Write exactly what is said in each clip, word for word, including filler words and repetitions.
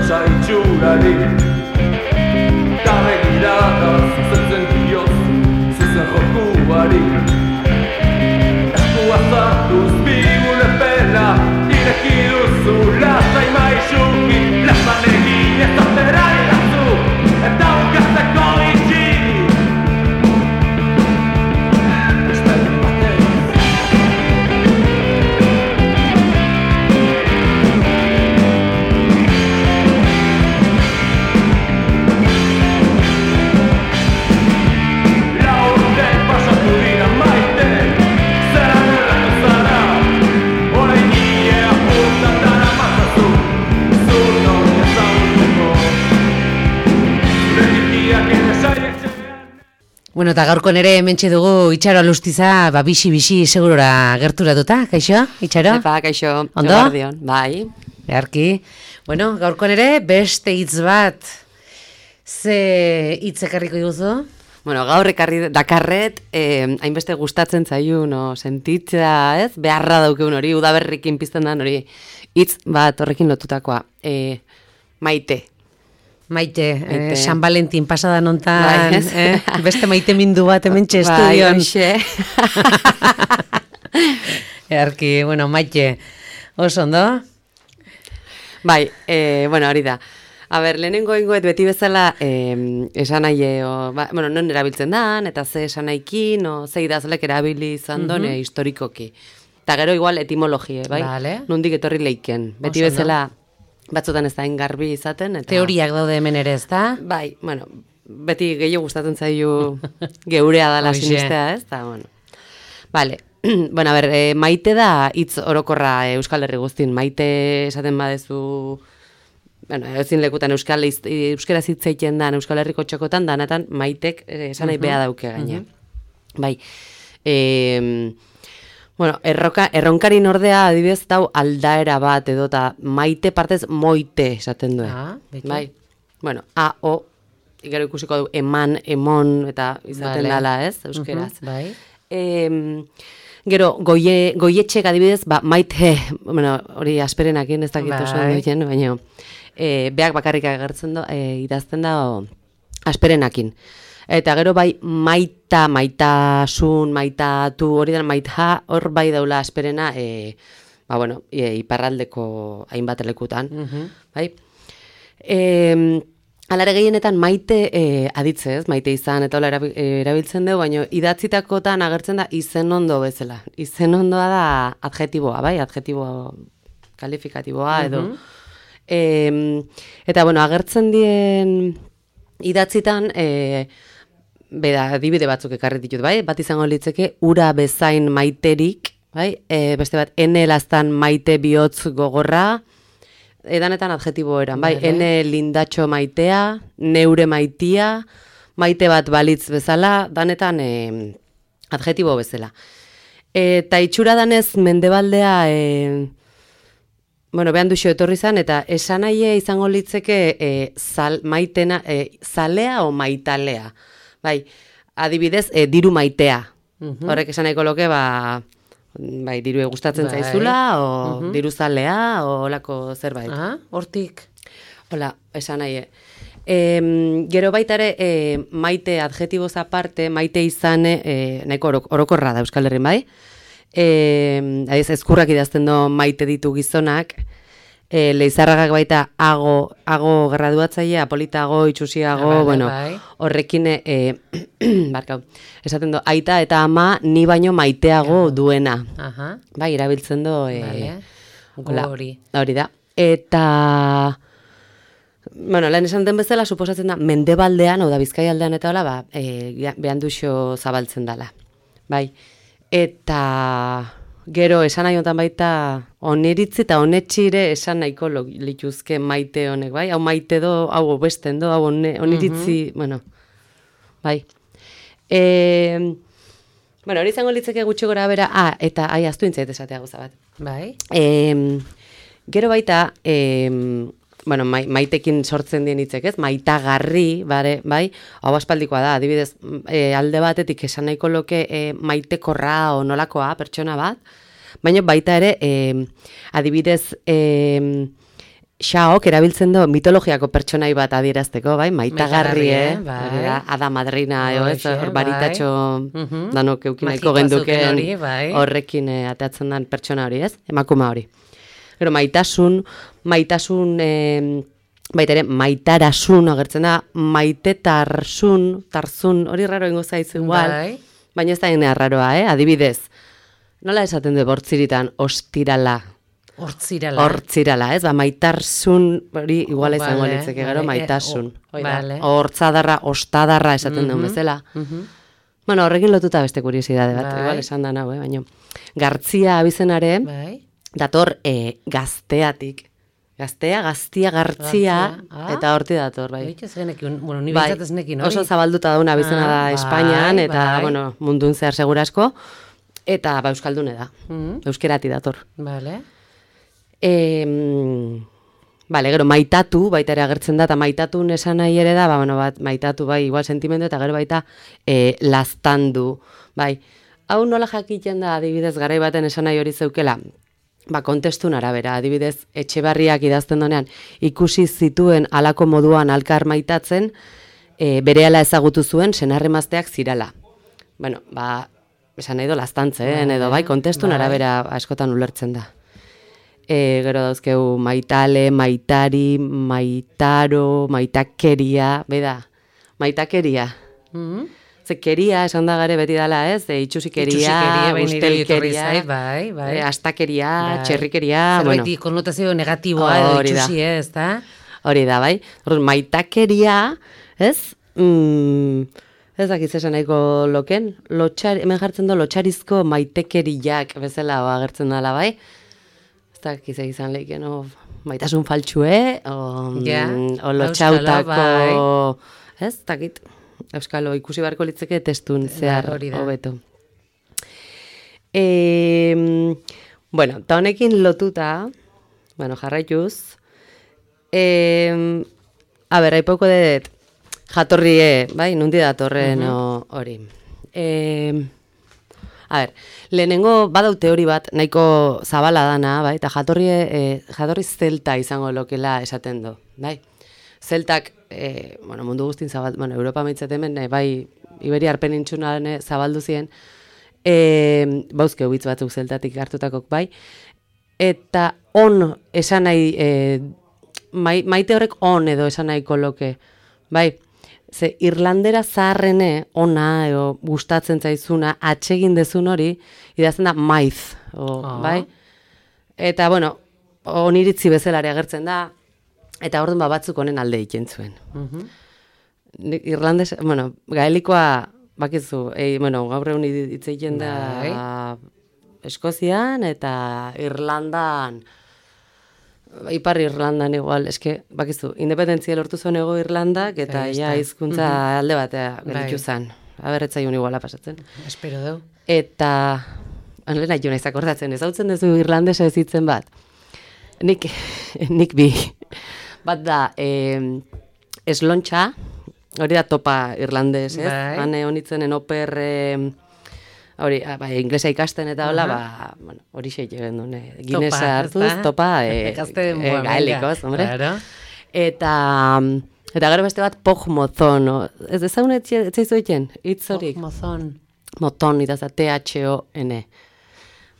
arrosa itxurari Gabe girada zuzentzen diozu zuzen jokuari Eskua zartuz bigule pena ireki duzu lasai maixuki Plazan egin ez atera iratzu eta ukatzeko itxi Bueno, eta gaurkon ere hementxe dugu Itxaro Alustiza, ba, bixi-bixi segurora gerturatuta, kaixo, Itxaro? Epa, kaixo, ondo? Eguardion, bai. Beharki. Bueno, gaurkon ere beste hitz bat, ze hitz ekarriko diguzu? Bueno, gaur ekarri dakarret, eh, hainbeste gustatzen zaiun, no, sentitzea, ez? Beharra daukeun hori, udaberrikin pizten dan hori, hitz bat horrekin lotutakoa, eh, maite. Maite, eh, San Valentin pasada nontan, bai, eh, beste maite mindu bat hementxe bai, estudion. Earki, bueno, Maite, oso ondo? Bai, eh, bueno, hori da. A ber, lehenengo ingoet beti bezala eh, esan nahi, o, ba, bueno, non erabiltzen dan, eta ze esan nahikin, o, ze idazlek erabili izan Mhm. done historikoki. Eta gero igual etimologie, bai? Vale. Nondik etorri leiken. Beti Oso ondo. bezala batzutan ez da garbi izaten. Eta... Teoriak daude hemen ere, ez da? Bai, bueno, beti gehiago gustatzen zaiu geurea dala Hoxe. sinistea, ez? Ta, bueno. Vale. Bueno, a ber, e, maite da hitz orokorra Euskal Herri guztin. Maite esaten badezu, bueno, ezin lekutan Euskal euskera hitz egiten dan Euskal Herriko txokotan danatan maitek eh, esan nahi beha dauke gaine. Bai. Eh, bueno, erroka, erronkarin ordea adibidez dau aldaera bat edota maite partez moite esaten du. Ah, beti. Bai. Bueno, a o gero ikusiko du eman, emon eta izaten Vale. dala, ez? Euskeraz. Mhm, bai. Eh, Gero, goie, goietxek adibidez, ba, maite, bueno, hori asperenakin ez dakit oso Bai. duien, baina e, beak bakarrik agertzen da, e, idazten da o, asperenakin. Eta gero bai maita, maitasun, maitatu, hori da maita, hor bai daula asperena, e, ba, bueno, e, iparraldeko hainbat lekutan, Mhm. bai? E, Alare gehienetan maite e, aditze, ez? Maite izan eta hola erabi- erabiltzen dugu, baina idatzitakotan agertzen da izen ondo bezala. Izen ondoa da adjetiboa, bai? Adjetibo kalifikatiboa edo. E, eta, bueno, agertzen dien idatzitan, e, beda, adibide batzuk ekarri ditut, bai? Bat izango litzeke, ura bezain maiterik, bai? E, beste bat, ene lastan maite bihotz gogorra, edanetan adjetibo eran, bai, Vale. ene lindatxo maitea, neure maitia, maite bat balitz bezala, danetan e, adjetibo bezala. Eta itxura danez mendebaldea, e, bueno, behan duxo etorri zan, eta esan nahi izango litzeke e, zal, maitena, e, zalea o maitalea. Bai, adibidez, e, diru maitea. Mhm. Horrek esan nahiko loke, ba, bai, diru gustatzen Bai. zaizula, o Mhm. diru zalea, o olako zerbait. Ah, hortik. Hola, esan nahi. E, gero baita ere, e, maite adjetiboz aparte, maite izane, e, nahiko orok, orokorra da Euskal Herrin, bai? E, adiz, ezkurrak idazten do maite ditu gizonak, e, leizarragak baita ago, ago graduatzailea, apolitago, itxusiago, Vale, bueno, bai. horrekin, e, barkau, esaten do, aita eta ama ni baino maiteago duena. Aha, Bai, erabiltzen do, e, vale. hola, Gori. hori da. Eta, bueno, lehen esan den bezala, suposatzen da, mendebaldean, hau da, Bizkaialdean eta hola, ba, e, behan duxo zabaltzen dala. Bai, eta gero esan nahi honetan baita, oneritzi eta onetxire esan nahiko lo- lituzke maite honek, bai? Hau maite do, hau besten do, hau one- oneritzi, bueno, bai. E, bueno, hori izango litzeke gutxi gora bera, ah, eta, ai, aztu intzait esatea gauza bat. Bai. E, gero baita, e, bueno, mai, maitekin sortzen dien hitzek, ez? Maitagarri, bare, bai? Hau aspaldikoa da, adibidez, e, alde batetik esan nahiko loke e, maitekorra o nolakoa pertsona bat, baina baita ere, e, adibidez, e, Xaok erabiltzen du mitologiako pertsonai bat adierazteko, bai, maitagarri, eh? Bai. Ada madrina, eo, ez, Hoxe, baritatxo bai. danok eukinaiko Magikoa genduken zuken hori, bai. horrekin eh, ateatzen den pertsona hori, ez? Emakuma hori. Gero, maitasun, maitasun, eh, baita ere, maitarasun agertzen da, maitetarsun, tarzun, hori raro ingo zaizu igual, Bai. baina ez da gine arraroa, eh? Adibidez, nola esaten du bortziritan, ostirala, Hortzirala. Hortzirala, ez? Ba, maitarsun, hori iguala izango Vale, litzeke, gero, vale, maitasun. eh, Hoi vale. da, hortzadarra, ostadarra esaten duen bezala. Bueno, horrekin lotuta beste kuriosidade bat, Bai. igual esan da nau, eh? Baina, Gartzia abizenare, Bai. dator eh, gazteatik. Gaztea, gaztia, gartzia, Gartzia, ah. eta horti dator, bai. Bai, ez genekin, bueno, ni Bai, bintzat ez nekin, hori. oso zabalduta dauna abizena Ah, da bai, Espainian, eta, bai. bueno, mundun zehar segurasko, eta ba, euskaldune da. Mhm. Euskerati dator. Vale. E, bale, gero, maitatu, baita ere agertzen da, eta maitatu esan nahi ere da, ba, bueno, bat, maitatu, bai, igual sentimendu, eta gero baita e, laztandu, bai. Hau nola jakiten da, adibidez, garai baten esan nahi hori zeukela, ba, kontestun arabera, adibidez, Etxebarriak idazten donean, ikusi zituen alako moduan alkar maitatzen, e, berehala ezagutu zuen senarremazteak zirala. Bueno, ba, esan nahi do laztantzen, edo, bai, kontestun bai. arabera askotan ulertzen da. E, gero dauzkeu maitale, maitari, maitaro, maitakeria, beda, maitakeria. Mhm. Ze keria esan da gare beti dala, ez? E, itxusikeria, Itxusikeria, bai, nire etorri ustelkeria, zait, bai, bai. e, astakeria, Bai. txerrikeria, Zerbait bueno, konnotazio negatiboa edo Hori da. itxusi ez, da? hori da, bai? Orduan, maitakeria, ez? Mm, ez dakiz esan nahiko loken, lotxar, hemen jartzen du lotxarizko maitekeriak bezala o, agertzen dala, bai? Ez dakiz izan leiken, o, maitasun faltsue, o, Ja, mm, o lotxautako, Euskalo, ez dakit, Euskalo ikusi beharko litzeke testun zehar hori da. hobeto. E, bueno, eta honekin lotuta, bueno, jarraituz, e, a ber, aipoko dut jatorrie, bai, nundi datorren o, hori. E, a ber, lehenengo badau teori bat, nahiko zabala dana, bai, eta jatorrie, e, jatorri zelta izango lokela esaten du, bai. Zeltak, e, bueno, mundu guztin zabaldu, bueno, Europa maitzat hemen, e, bai, Iberiar penintsulan zabaldu ziren, e, bauzke ubitz batzuk zeltatik hartutakok, bai, eta on esan nahi, e, mai, maite horrek on edo esan nahiko loke, bai, ze irlandera zaharrene ona edo gustatzen zaizuna atsegin dezun hori, idazten da maiz, o, Ah. bai, eta, bueno, oniritzi bezalare agertzen da, eta orduan ba batzuk honen alde egiten zuen. Nik Irlandes, bueno, gaelikoa bakizu, e, bueno, gaur egun hitz egiten da Eskozian eta Irlandan, Ipar Irlandan igual, eske, bakizu, independentzia lortu zuen ego Irlandak, eta Ahí ja está. hizkuntza alde batea Bai. gelditu zen. Aberretzaiun iguala pasatzen. Espero deu. Eta, anlena jo naiz akordatzen, ez hautzen duzu irlandesa ez hitzen bat. Nik, nik bi. Bat da, eh, eslontxa, hori da topa irlandes, ez? Bai. Hane honitzenen oper, eh, hori, ah, bai, inglesa ikasten eta hola, ba, bueno, hori xe egin duen, eh, Guinnessa Topa, hartuz, ezta? topa, eh, Ikaste eh, denboa, gaelikoz, venga. hombre. Claro. Eta, eta gero beste bat, pogmozon, no? Ez ezagun etzaizu egiten, hitz horik? Mozon. Moton, itaza, T H O N.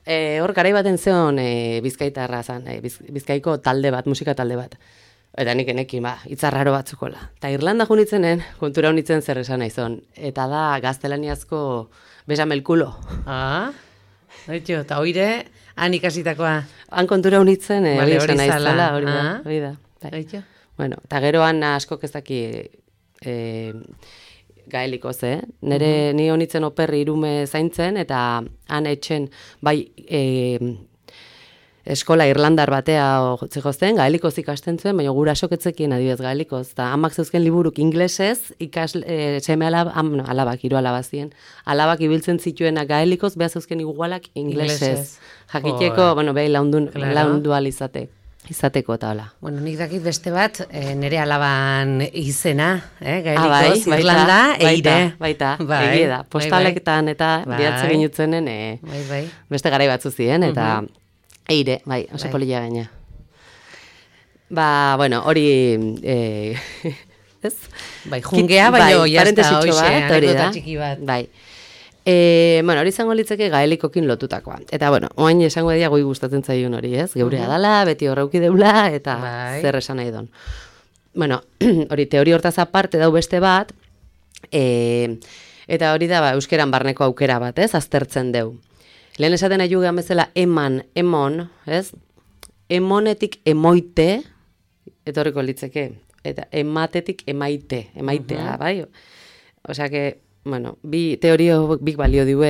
E, hor, garai baten zeon e, bizkaitarra zan, e, biz, bizkaiko talde bat, musika talde bat. Eta nik enekin, ba, itzarraro batzukola. Eta Irlanda junitzenen, kontura honitzen zer esan naizon. Eta da, gaztelaniazko besamelkulo. Ah, Oitxo, eta oire, han ikasitakoa. Han kontura honitzen, e, Vale, hori hori esan naizela, zala. hori da. Ah. Hori da. Bai. Oitxo. Bueno, eta geroan askok ez daki e, gaelikoz, eh? Nere ni honitzen operri irume zaintzen, eta han etxen, bai, e, eskola irlandar batea zegozen, gaelikoz ikasten zuen, baina gurasok etzekien adibidez gaelikoz, eta amak zeuzken liburuk inglesez, ikas, e, seme alab, am, no, alabak, hiru alaba ziren, alabak ibiltzen zituenak gaelikoz, beha zeuzken igualak inglesez. Inglesez. Jakiteko, Joe. bueno, behi laundun, Claro. laundu alizate, izateko eta hola. Bueno, nik dakit beste bat, e, nere alaban izena, eh, Ah, bai, gaelikoz, baita, Irlanda, baita, eire. Baita, Bai, egie da. bai, Postalektan eta Bai. bidatzen ginutzenen e, Bai, bai. beste garai batzu ziren, eta eire, bai, oso Bai. polilla gaina. Ba, bueno, hori... Eh, ez? Bai, jungea, baina bai, jazta, hoxe, bat, hori da. txiki bat. Bai. E, bueno, hori izango litzeke gaelikokin lotutakoa. Eta, bueno, oain esango edia goi gustatzen zaigun hori, ez? Geurea dala, beti horreuki deula, eta bai. zer esan nahi don. Bueno, hori teori hortaz aparte dau beste bat, e, eta hori da, ba, euskeran barneko aukera bat, ez? Aztertzen deu. Lehen esaten nahi jugean bezala eman, emon, ez? Emonetik emoite, etorriko litzeke, eta ematetik emaite, emaitea, bai? Osea que, bueno, bi teorio bik balio diue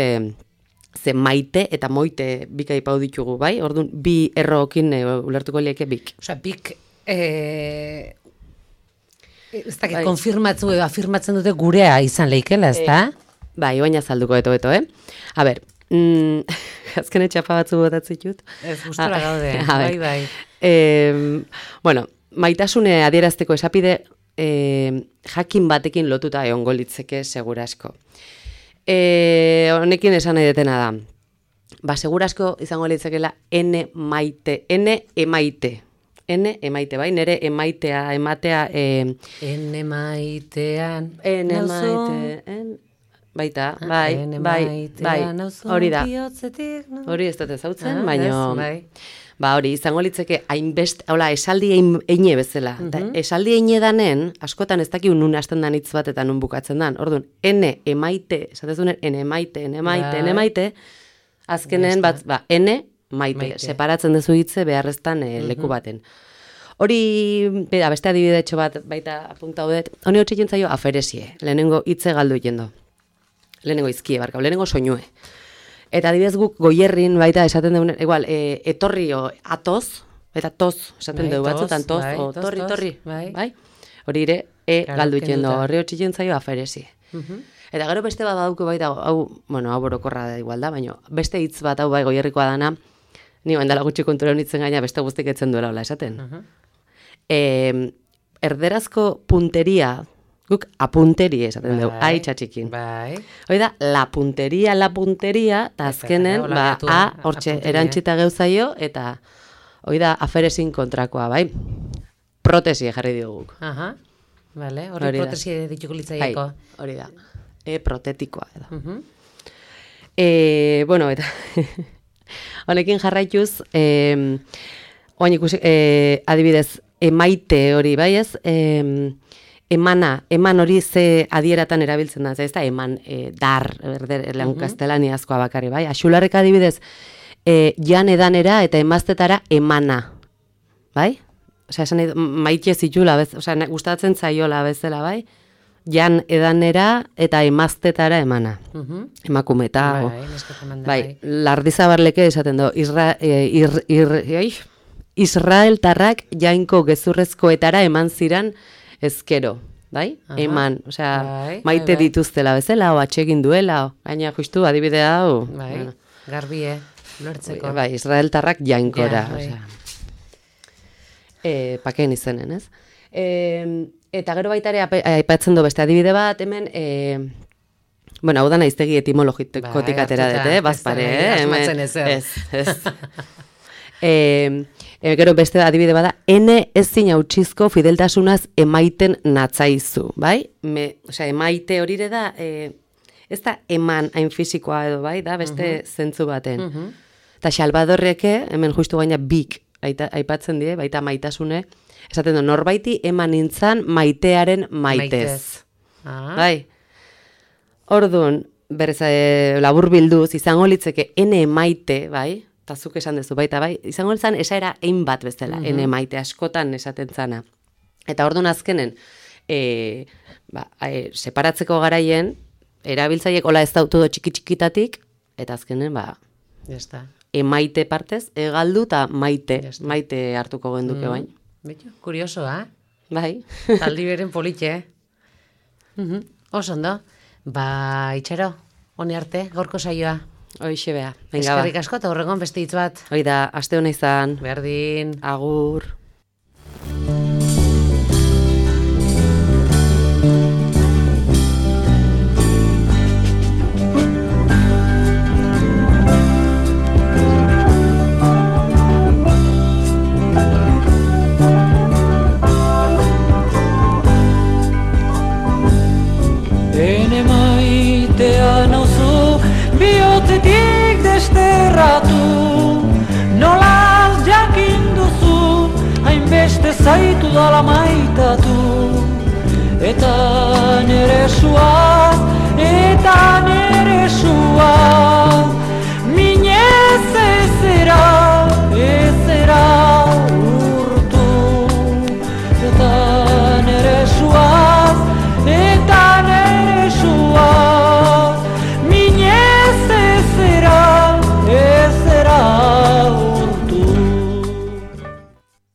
ze maite eta moite bik aipau ditugu, bai? Orduan, bi errokin e, ulertuko lieke bik. Osea, bik... E... Ez dakit, Bai. konfirmatzen edo afirmatzen dute gurea izan leikela, ez da? Bai, baina zalduko eto-eto, eh? A ber, mm, azken etxapa batzu botatzitut. Ez, gustora Ah, gaude, a ber. bai, bai. Eh, bueno, maitasune adierazteko esapide eh, jakin batekin lotuta egongo litzeke segurasko. Eh, honekin esan nahi detena da. Ba, segurasko izango litzekela ene maite, ene emaite. Ene emaite, bai, nere emaitea, ematea... Eh, Ene maitean... ene nauzu- maite, en, baita, bai, Ene bai, maitean bai, nauzu hori da. bihotzetik, no? Hori ez dut ezautzen, Ah, baina... ez, bai. Ba hori, izango litzeke hainbest, hola, esaldi ein, eine bezala. Da, esaldi eine danen, askotan ez dakiu nun hasten dan hitz bat eta nun bukatzen dan. Orduan, ene emaite, esatezunen, ene emaite, ene emaite, ene Bai. emaite, azkenen bat, ba, ene maite, Maite. separatzen dezu hitze beharreztan e, leku baten. Hori, bera, beste adibidetxo bat baita apunta haudet, honi hotxe jentzaio aferesie, lehenengo hitze galdu jendo. Lehenengo izkie, barkau, lehenengo soinue. Eta adibidez guk goierrin baita esaten dugu, igual, e, etorrio atoz, eta toz esaten Bai, dugu toz, batzutan toz, bai, o toz, torri, toz, torri, bai. bai? Hori ere, e Claro, galdu kenduta. jendo, horri hotxe jentzaio aferesie. Eta gero beste bat badauko baita, hau, bueno, hau borokorra da igual da, baina beste hitz bat hau bai goierrikoa dana, ni bandala gutxi kontura honitzen gaina beste guztik etzen duela hola esaten. Eh, erderazko punteria, guk apunteri esaten dugu, Bai, aitza txikin. Bai. Hoi da, la punteria, la punteria, eta azkenen, hola ba, gaitu, a, a hortxe, punteria. erantxita geuzaio, eta hoi da, aferezin kontrakoa, bai? Protesie jarri dioguk. Aha, vale, hori Hori da. protesi dituko Bai, litzaieko. hori da. E, protetikoa, edo. Mhm. E, bueno, eta honekin jarraituz, e, oain ikusi, e, adibidez, emaite hori, bai ez? E, emana, eman hori ze adieratan erabiltzen da, ez da, eman e, dar, erder, lehan kastelaniazkoa bakarri, bai? Axularrek adibidez, e, jan edanera eta emaztetara emana, bai? Osea, esan nahi, dut, maite zitula, bez, osea, ne- gustatzen zaiola bezala, bai? Jan edanera eta emaztetara emana. Mhm. Emakumeta, o- Bai, neskatzen manda, bai, bai. lardizabarleke esaten do, Isra, e, ir, ir, ai, Israeltarrak jainko gezurrezkoetara eman ziran ezkero, bai? Aha. Eman, osea, Bai, maite bai, bai. dituztela bezala, o atsegin duela, o, gaina justu adibidea hau. Bai, bueno, garbie, lortzeko. bai, Israeltarrak jainkora, Ja, bai. osea. E, pakeen izenen, ez? E, eta gero baita ere ape- aipatzen du beste adibide bat, hemen, e, bueno, hau da naiztegi etimologikotik Bai, atera dut, hartuta, eh? ez da Bazpare, nahi eh? Hemen- asmatzen ezer. Ez, ez. e, e, gero beste adibide bada, ene ezin hautsizko fideltasunaz emaiten natzaizu, bai? Me, osea, emaite hori ere da, e, ez da eman hain fisikoa edo, bai? Da beste zentzu baten. Eta Salvadorreke, hemen justu gaina bik aita, aipatzen die, baita maitasune, esaten du, norbaiti eman nintzan maitearen maitez. Ah, Bai. Orduan, berez e, labur bilduz, izango litzeke ene maite, bai, eta zuk esan duzu, baita, bai, izango litzan esaera ein bat bezala, ene maite askotan esaten zana. Eta orduan azkenen, e, ba, e, separatzeko garaien, erabiltzaiek hola ez dautu do txiki-txikitatik, eta azkenen, ba, ya está. emaite partez, egaldu eta maite, Ya está. maite hartuko genduke bain. Bitu, kurioso, ha? Bai. Taldi beren politxe, eh? Mhm. Oso ondo. Ba, itxero, honi arte, gorko saioa. Hoixe bea. Venga, ba. Eskerrik asko, eta horregon beste hitz bat. Hoi da, aste hona izan. Berdin. Agur. zaitu dala maitatu, eta nere sua, eta nere sua.